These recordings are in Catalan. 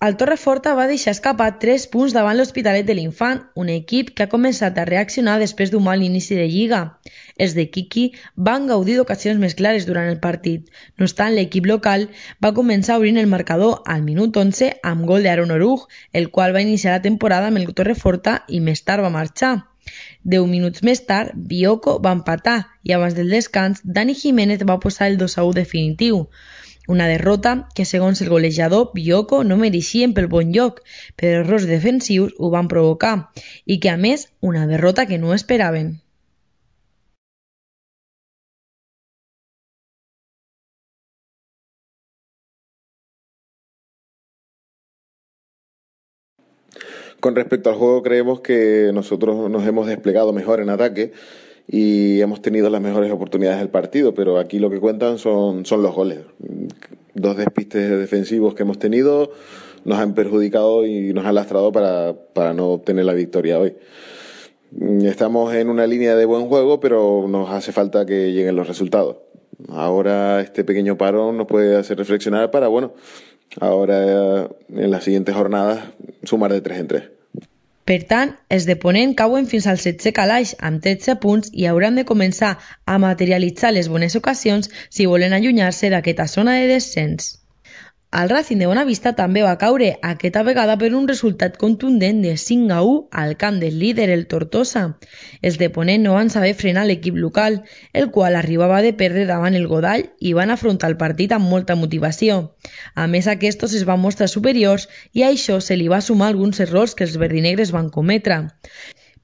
El Torreforta va deixar escapar 3 punts davant l'Hospitalet de l'Infant, un equip que ha començat a reaccionar després d'un mal inici de lliga. Els de Quiqui van gaudir d'ocasions més clares durant el partit. No obstant, l'equip local va començar obrint el marcador al minut 11 amb gol d'Aaron Oruj, el qual va iniciar la temporada amb el Torreforta i més tard va marxar. 10 minuts més tard, Bioko va empatar i abans del descans, Dani Jiménez va posar el 2-1 definitiu. Una derrota que, segons el golejador, Bioko no mereixien pel bon lloc, però errors defensius ho van provocar, i que a més, una derrota que no esperaven. Con respecto al juego, creemos que nosotros nos hemos desplegado mejor en ataque y hemos tenido las mejores oportunidades del partido, pero aquí lo que cuentan son los goles. 2 despistes defensivos que hemos tenido nos han perjudicado y nos han lastrado para no obtener la victoria hoy. Estamos en una línea de buen juego, pero nos hace falta que lleguen los resultados. Ahora este pequeño parón nos puede hacer reflexionar para, ahora en las siguientes jornadas sumar de 3 en 3. Per tant, els de Ponent cauen fins al 7è calaix amb 13 punts i hauran de començar a materialitzar les bones ocasions si volen allunyar-se d'aquesta zona de descens. El Racing de Bonavista també va caure, aquesta vegada per un resultat contundent de 5-1 al camp del líder, el Tortosa. Els de Ponent no van saber frenar l'equip local, el qual arribava de perdre davant el Godall i van afrontar el partit amb molta motivació. A més, aquests es van mostrar superiors i a això se li va sumar alguns errors que els verdinegres van cometre.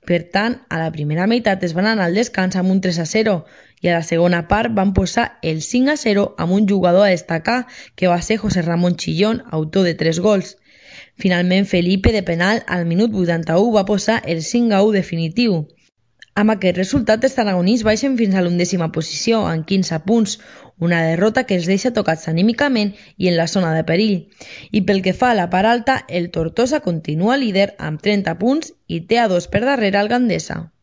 Per tant, a la primera meitat es van anar al descans amb un 3-0 i a la segona part van posar el 5-0 amb un jugador a destacar que va ser José Ramón Chillón, autor de 3 gols. Finalment, Felipe de penal al minut 81 va posar el 5-1 definitiu. Amb aquest resultat, els tarragonins baixen fins a l'11ª posició, amb 15 punts, una derrota que els deixa tocats anímicament i en la zona de perill. I pel que fa a la part alta, el Tortosa continua líder amb 30 punts i té a 2 per darrere el Gandesa.